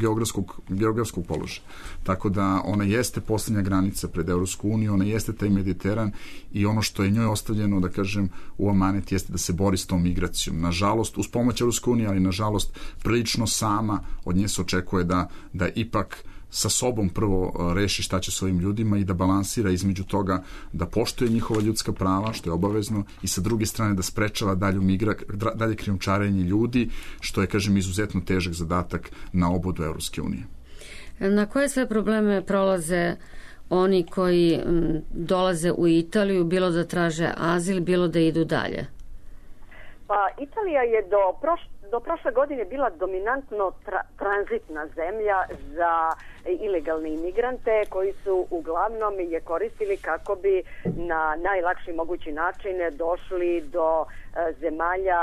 geografskog položaja. Tako da ona jeste poslednja granica pred Evropsku uniju, ona jeste taj Mediteran i ono što je njoj ostavljeno, da kažem, u amanet jeste da se bori s tom migracijom. Nažalost, uz pomoć Evropske unije, ali nažalost prilično sama od nje se očekuje da ipak sa sobom prvo reši šta će s ovim ljudima i da balansira između toga da poštuje njihova ljudska prava, što je obavezno, i sa druge strane da sprečava dalje krijumčarenje ljudi, što je, kažem, izuzetno težak zadatak na obodu Evropske unije. Na koje sve probleme prolaze oni koji dolaze u Italiju, bilo da traže azil, bilo da idu dalje? Pa Italija je do prošle godine bila dominantno tranzitna zemlja za ilegalne imigrante koji su uglavnom je koristili kako bi na najlakši mogući način došli do zemalja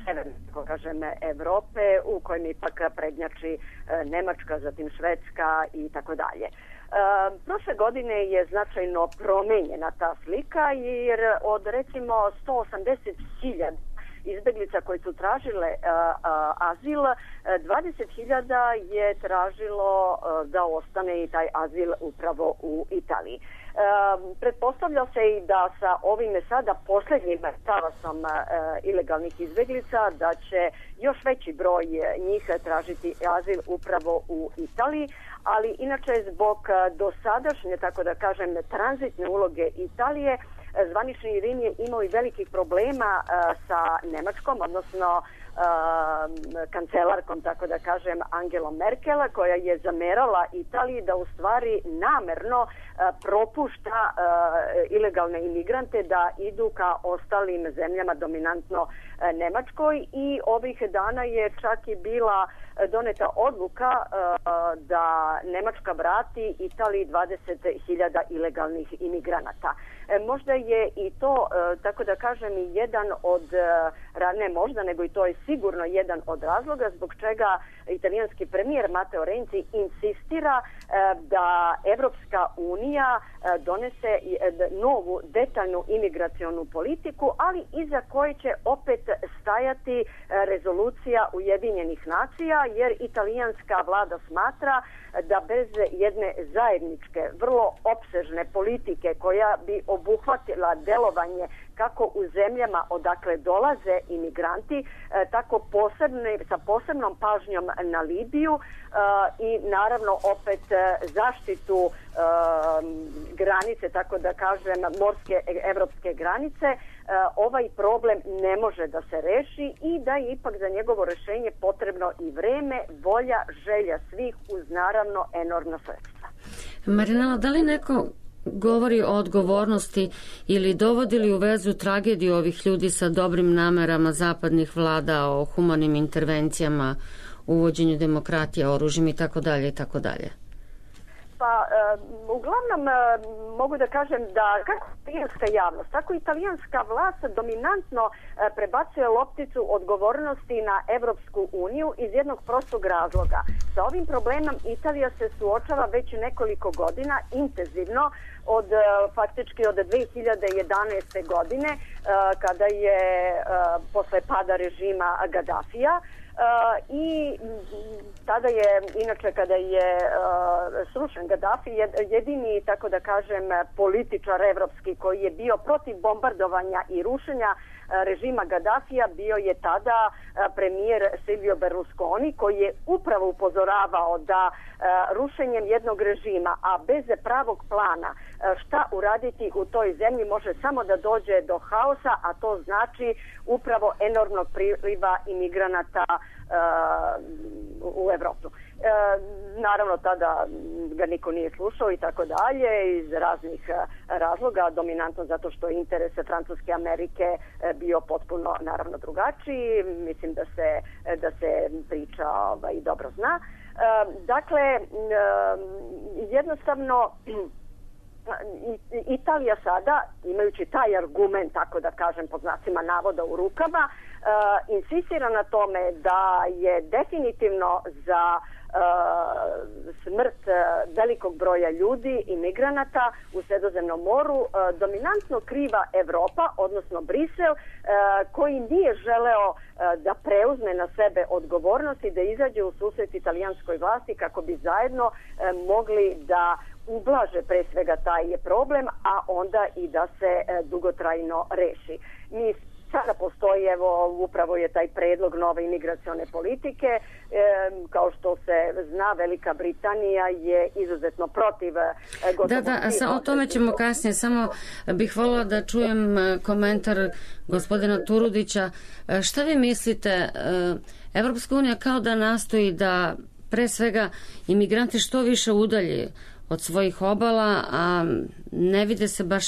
severne, kako kažem, Evrope, u kojim ipak prednjači Nemačka, zatim Švedska i tako dalje. Prošle godine je značajno promenjena ta slika jer od recimo 180.000 izbeglica koji su tražile azil, 20.000 je tražilo da ostane i taj azil upravo u Italiji. Pretpostavlja se i da sa ovim sada posljednjim talasom ilegalnih izbeglica da će još veći broj njih tražiti azil upravo u Italiji, ali inače zbog dosadašnje, tako da kažem, tranzitne uloge Italije, zvanični Rim je imao i velikih problema sa Nemačkom, odnosno kancelarkom, tako da kažem, Angelom Merkel, koja je zamerala Italiji da u stvari namerno propušta ilegalne imigrante da idu ka ostalim zemljama, dominantno Nemačkoj, i ovih dana je čak i bila doneta odluka da Nemačka vrati Italiji 20.000 ilegalnih imigranata. Možda je i to, tako da kažem, jedan od, ne možda, nego i to je sigurno jedan od razloga zbog čega italijanski premijer Matteo Renzi insistira da Evropska unija donese novu detaljnu imigracionu politiku, ali iza koje će opet stajati rezolucija Ujedinjenih nacija, jer italijanska vlada smatra da bez jedne zajedničke, vrlo opsežne politike koja bi obuhvatila delovanje kako u zemljama odakle dolaze imigranti, tako sa posebnom pažnjom na Libiju i naravno opet zaštitu granice, tako da kažem, morske evropske granice, ovaj problem ne može da se reši i da je ipak za njegovo rešenje potrebno i vreme, volja, želja svih uz naravno enormna sredstva. Marinela, da li neko govori o odgovornosti ili dovodi li u vezu tragediju ovih ljudi sa dobrim namerama zapadnih vlada o humanim intervencijama, uvođenju demokratije, oružjem i tako dalje i tako dalje? Pa, uglavnom mogu da kažem da kako italijanska javnost, tako i italijanska vlast dominantno prebacuje lopticu odgovornosti na Evropsku uniju iz jednog prostog razloga. Sa ovim problemom Italija se suočava već nekoliko godina intenzivno, faktički od 2011. godine, kada je posle pada režima Gaddafija, i tada je, inače kada je srušen Gaddafi, jedini, tako da kažem, političar evropski koji je bio protiv bombardovanja i rušenja režima Gaddafija bio je tada premijer Silvio Berlusconi, koji je upravo upozoravao da rušenjem jednog režima, a bez pravog plana šta uraditi u toj zemlji, može samo da dođe do haosa, a to znači upravo enormnog priliva imigranata u Evropu. Naravno tada ga niko nije slušao i tako dalje iz raznih razloga, dominantno zato što je interes Francuske Amerike bio potpuno naravno drugačiji. Mislim da se priča dobro zna. Dakle, jednostavno Italija sada, imajući taj argument, tako da kažem pod znacima navoda u rukama, insistira na tome da je definitivno za smrt velikog broja ljudi i migranata u Sredozemnom moru dominantno kriva Evropa, odnosno Brisel, koji nije želeo da preuzme na sebe odgovornost i da izađe u susret italijanskoj vlasti kako bi zajedno mogli da ublaže pre svega taj problem, a onda i da se dugotrajno reši. Mi sada postoji, evo, upravo je taj predlog nove imigracione politike. Kao što se zna, Velika Britanija je izuzetno protiv gotovo... Da, o tome ćemo kasnije. Samo bih voljela da čujem komentar gospodina Turudića. Šta vi mislite, Evropska unija kao da nastoji da pre svega imigranti što više udalji od svojih obala, a ne vide se baš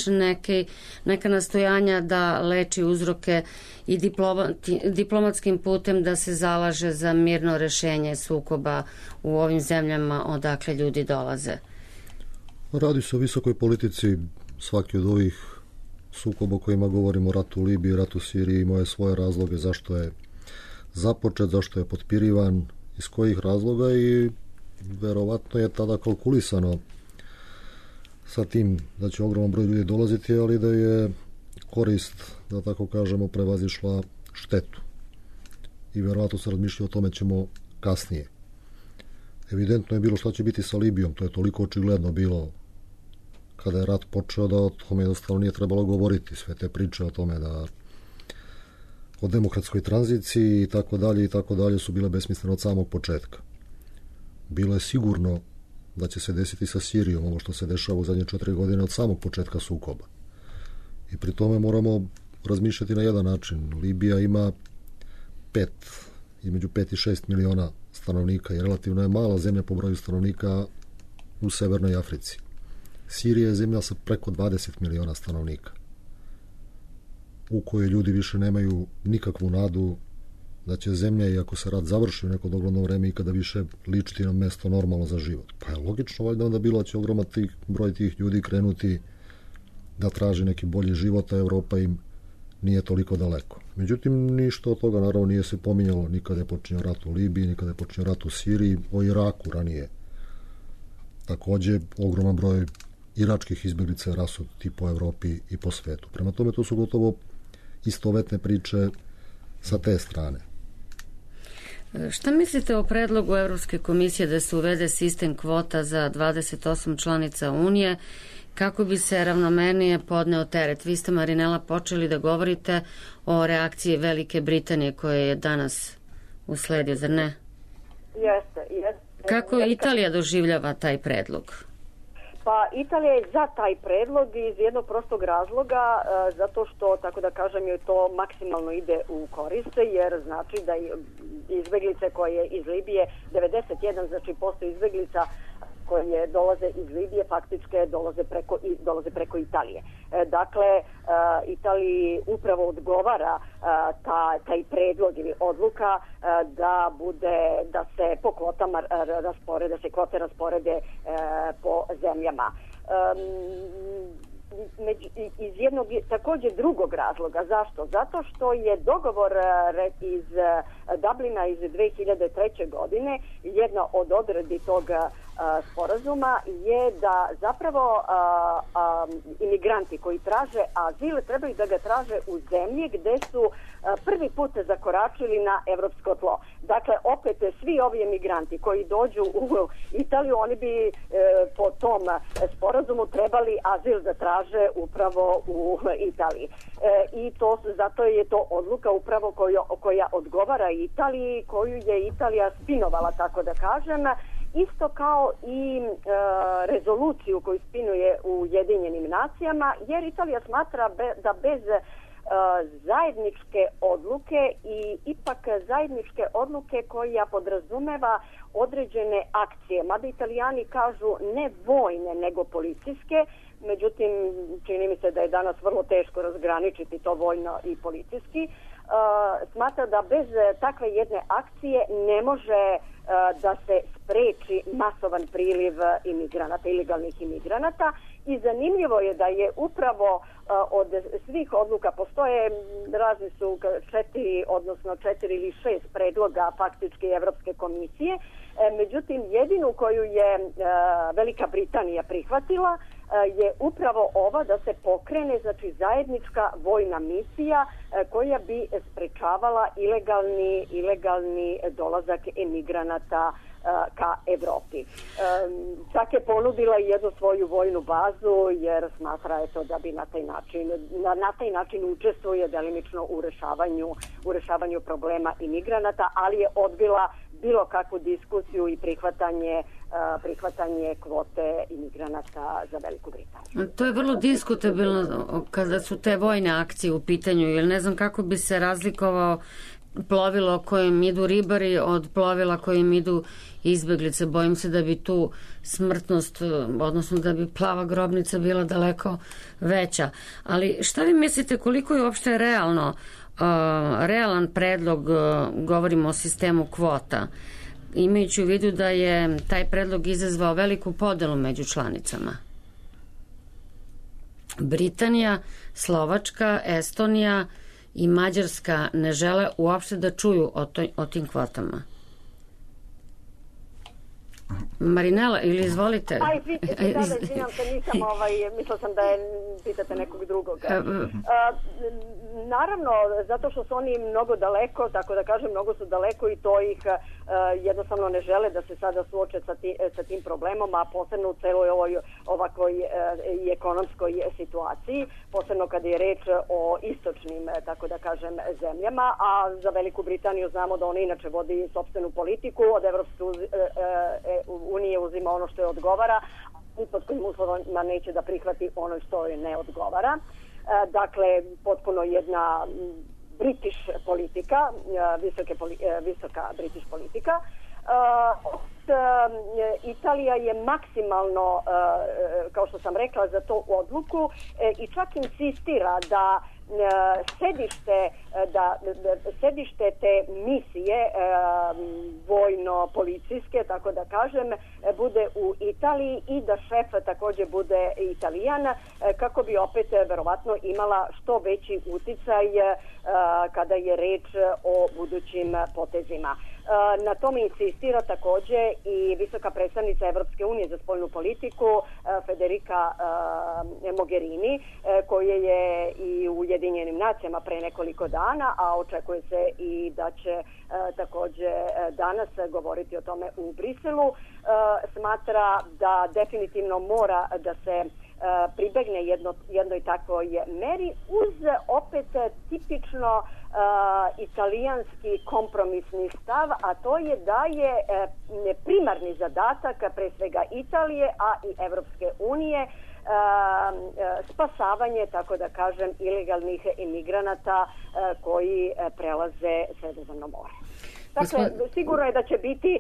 neka nastojanja da leči uzroke i diplomatskim putem da se zalaže za mirno rešenje sukoba u ovim zemljama odakle ljudi dolaze. Radi se o visokoj politici. Svaki od ovih sukoba o kojima govorimo, ratu u Libiji, ratu u Siriji, imao je svoje razloge zašto je započet, zašto je potpirivan, iz kojih razloga, i verovatno je tada kalkulisano sa tim da će ogroman broj ljudi dolaziti, ali da je korist, da tako kažemo, prevazišla štetu. I verovatno se razmišlja o tome ćemo kasnije. Evidentno je bilo šta će biti sa Libijom, to je toliko očigledno bilo kada je rat počeo da o tome jednostavno nije trebalo govoriti. Sve te priče o tome da o demokratskoj tranziciji i tako dalje su bile besmislene od samog početka. Bilo je sigurno da će se desiti sa Sirijom ovo što se dešava u zadnje 4 godine od samog početka sukoba. I pri tome moramo razmišljati na jedan način. Libija ima između 5 i 6 miliona stanovnika i relativno je mala zemlja po broju stanovnika u Severnoj Africi. Sirija je zemlja sa preko 20 miliona stanovnika, u kojoj ljudi više nemaju nikakvu nadu da će zemlja, i ako se rat završi u neko dogledno vreme, ikada više ličiti na mesto normalno za život. Pa je logično valjda onda bilo da će ogroman broj tih ljudi krenuti da traži neki bolji život, a Evropa im nije toliko daleko. Međutim, ništa od toga naravno nije se pominjalo. Nikada je počinio rat u Libiji, nikada je počinio rat u Siriji, o Iraku ranije. Takođe, ogroman broj iračkih izbjeglica je rasuti po Evropi i po svetu. Prema tome, to su gotovo istovetne priče sa te strane. Šta mislite o predlogu Evropske komisije da se uvede sistem kvota za 28 članica Unije kako bi se ravnomernije podneo teret? Vi ste, Marinela, počeli da govorite o reakciji Velike Britanije koja je danas usledio, zar ne? Jeste. Kako Italija doživljava taj predlog? Pa Italija je za taj predlog iz jednog prostog razloga, zato što, tako da kažem, je to maksimalno ide u korist, jer znači da izbeglice koje iz Libije, 91, znači postoji izbeglica koje dolaze iz Libije, faktički dolaze preko Italije. Dakle, Italiji upravo odgovara taj predlog ili odluka da se po kvotama rasporede, da se kvote rasporede po zemljama. Iz jednog također drugog razloga. Zašto? Zato što je dogovor iz Dublina iz 2003. godine, jedna od odredbi tog sporazuma je da zapravo imigranti koji traže azil trebaju da ga traže u zemlji gde su prvi put zakoračili na evropsko tlo. Dakle, opet svi ovi emigranti koji dođu u Italiju, oni bi po tom sporazumu trebali azil da traže upravo u Italiji. I zato je to odluka upravo koja odgovara Italiji, koju je Italija spinovala, tako da kažem, isto kao i rezoluciju koju spinuje u Ujedinjenim nacijama, jer Italija smatra da bez zajedničke odluke i ipak zajedničke odluke koja podrazumeva određene akcije. Mada Italijani kažu ne vojne nego policijske, međutim čini mi se da je danas vrlo teško razgraničiti to vojno i policijski. Smatra da bez takve jedne akcije ne može da se spreči masovan priliv imigranata, ilegalnih imigranata i zanimljivo je da je upravo od svih odluka postoje razni su 4 ili 6 predloga faktički Evropske komisije, međutim jedinu koju je Velika Britanija prihvatila je upravo ova da se pokrene znači zajednička vojna misija koja bi sprečavala ilegalni dolazak emigranata ka Evropi. Čak je ponudila jednu svoju vojnu bazu jer smatra da bi na taj način učestvuje delimično u rešavanju problema imigranata, ali je odbila bilo kakvu diskusiju i prihvatanje kvote imigranata za Veliku Britaniju. To je vrlo diskutabilno kada su te vojne akcije u pitanju, jer ne znam kako bi se razlikovao plovilo kojim idu ribari od plovila kojim idu izbeglice. Bojim se da bi tu smrtnost, odnosno da bi plava grobnica bila daleko veća. Ali šta vi mislite koliko je uopšte realan predlog, govorimo o sistemu kvota, imajući u vidu da je taj predlog izazvao veliku podelu među članicama? Britanija, Slovačka, Estonija i Mađarska ne žele uopšte da čuju o tim kvotama. Marinela, ili izvolite? Izvinjam se, nisam, mislila sam da pitate nekog drugog. Naravno, zato što su oni mnogo daleko, tako da kažem, mnogo su daleko i to ih jednostavno ne žele da se sada suoče sa tim problemom, a posebno u celoj ovakvoj i ekonomskoj situaciji, posebno kada je reč o istočnim, tako da kažem, zemljama, a za Veliku Britaniju znamo da ona inače vodi sopstvenu politiku, od Evropske unije uzima ono što je odgovara, i pod kojim uslovima neće da prihvati ono što je ne odgovara. Dakle, potpuno jedna British politika, visoka British politika. Italija je maksimalno, kao što sam rekla, za to odluku i čak insistira da sedište te misije vojno-policijske, tako da kažem, bude u Italiji i da šef također bude Italijan, kako bi opet verovatno imala što veći uticaj kada je reč o budućim potezima. Na tome insistira također i visoka predstavnica Evropske unije za spoljnu politiku Federica Mogherini, koja je i u Ujedinjenim nacijama pre nekoliko dana, a očekuje se i da će također danas govoriti o tome u Briselu. Smatra da definitivno mora da se pribegne jednoj takvoj meri uz opet tipično italijanski kompromisni stav, a to je da je primarni zadatak pre svega Italije, a i Evropske unije spasavanje, tako da kažem, ilegalnih emigranata koji prelaze Sredozemno more. Dakle, sigurno je da će biti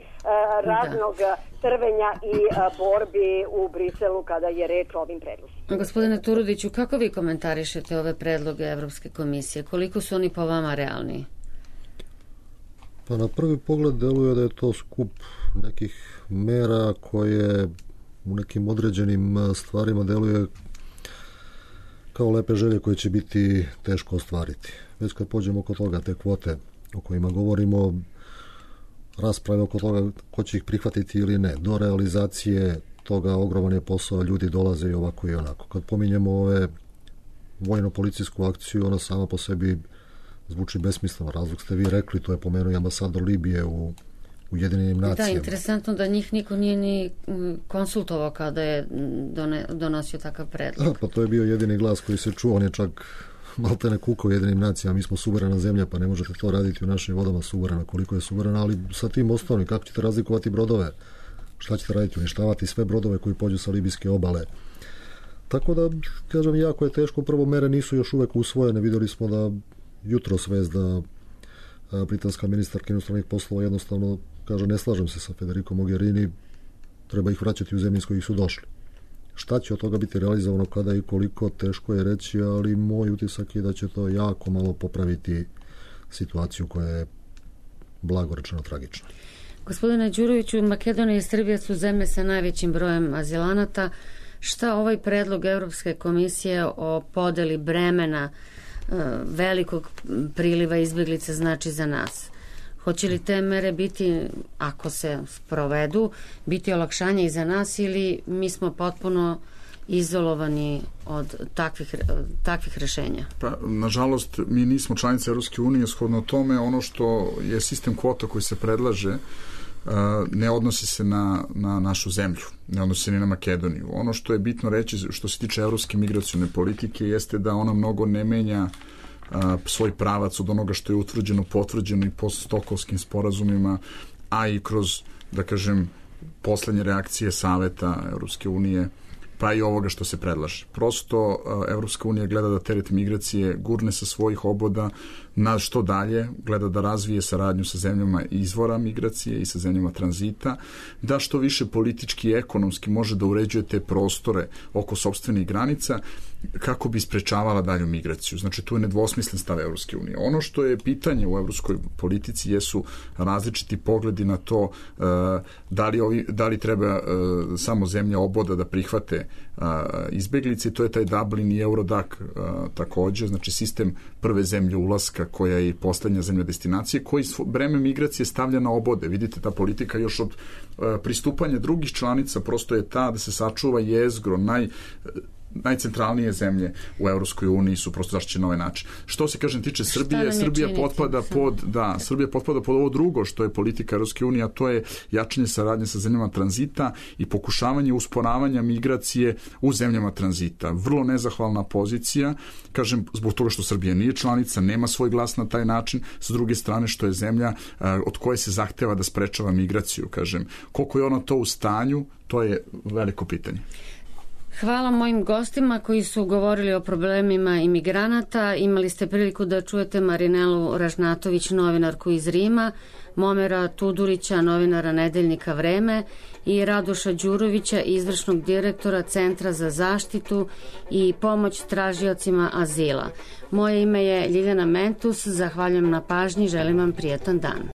raznog trvenja i borbi u Briselu kada je reč o ovim predlozima. Gospodine Turudiću, kako vi komentarišete ove predloge Evropske komisije? Koliko su oni po vama realni? Pa na prvi pogled deluje da je to skup nekih mera koje u nekim određenim stvarima deluje kao lepe želje koje će biti teško ostvariti. Već kad pođemo oko toga, te kvote o kojima govorimo, rasprave oko toga ko će ih prihvatiti ili ne, do realizacije toga ogroman je posao, ljudi dolaze i ovako i onako. Kad pominjemo ove vojno-policijsku akciju, ona sama po sebi zvuči besmisleno. Razlog ste vi rekli, to je pomenuo i ambasador Libije u Ujedinjenim nacijama. Da, interesantno da njih niko nije ni konsultovao kada je donosio takav predlog. Pa to je bio jedini glas koji se čuo, on je čak maltene kukao Ujedinjenim nacijama, mi smo suverena zemlja, pa ne možete to raditi u našim vodama suverena, koliko je suverena, ali sa tim osnovnim, kako ćete razlikovati brodove? Šta ćete raditi? Uništavati sve brodove koji pođu sa libijske obale. Tako da, kažem, jako je teško. Prvo, mere nisu još uvek usvojene. Videli smo da jutros vest da britanska ministarka inostranih poslova jednostavno kaže ne slažem se sa Federico Mogherini, treba ih vraćati u zemlje iz kojih su došli. Šta će od toga biti realizovano, kada i koliko, teško je reći, ali moj utisak je da će to jako malo popraviti situaciju koja je blago rečeno tragična. Gospodine Đuroviću, Makedonija i Srbija su zemlje sa najvećim brojem azilanata. Šta ovaj predlog Evropske komisije o podeli bremena velikog priliva izbjeglica znači za nas? Hoće li te mere biti, ako se sprovedu, biti olakšanje i za nas ili mi smo potpuno izolovani od takvih rešenja? Pa, nažalost, mi nismo članice Evropske unije, shodno tome ono što je sistem kvota koji se predlaže ne odnosi se na našu zemlju, ne odnosi se ni na Makedoniju. Ono što je bitno reći što se tiče evropske migracione politike jeste da ona mnogo ne menja svoj pravac od onoga što je utvrđeno, potvrđeno i po stokholmskim sporazumima, a i kroz, da kažem, poslednje reakcije Saveta Evropske unije, pa i ovoga što se predlaže. Prosto Evropska unija gleda da teret migracije gurne sa svojih oboda na što dalje, gleda da razvije saradnju sa zemljama izvora migracije i sa zemljama tranzita, da što više politički i ekonomski može da uređuje te prostore oko sopstvenih granica kako bi sprečavala dalju migraciju. Znači, tu je nedvosmislen stav Evropske unije. Ono što je pitanje u evropskoj politici jesu različiti pogledi na to da li treba samo zemlja oboda da prihvate izbeglice. To je taj Dublin i Eurodac takođe, znači sistem prve zemlje ulaska koja je i poslednja zemlja destinacije, koji breme migracije stavlja na obode. Vidite, ta politika još od pristupanja drugih članica prosto je ta da se sačuva jezgro, najcentralnije zemlje u Evropskoj uniji su prosto zaštićene na ovaj način. Što se, kažem, tiče Srbije, Srbija potpada pod ovo drugo što je politika Evropske unije, a to je jačanje saradnje sa zemljama tranzita i pokušavanje usporavanja migracije u zemljama tranzita. Vrlo nezahvalna pozicija, kažem, zbog toga što Srbija nije članica, nema svoj glas na taj način, sa druge strane što je zemlja od koje se zahteva da sprečava migraciju, kažem. Koliko je ona to u stanju, to je veliko pitanje. Hvala mojim gostima koji su govorili o problemima imigranata. Imali ste priliku da čujete Marinelu Ražnatović, novinarku iz Rima, Momera Tudurića, novinara Nedeljnika Vreme i Radoša Đurovića, izvršnog direktora Centra za zaštitu i pomoć tražiocima azila. Moje ime je Ljiljana Mentus, zahvaljujem na pažnji, želim vam prijetan dan.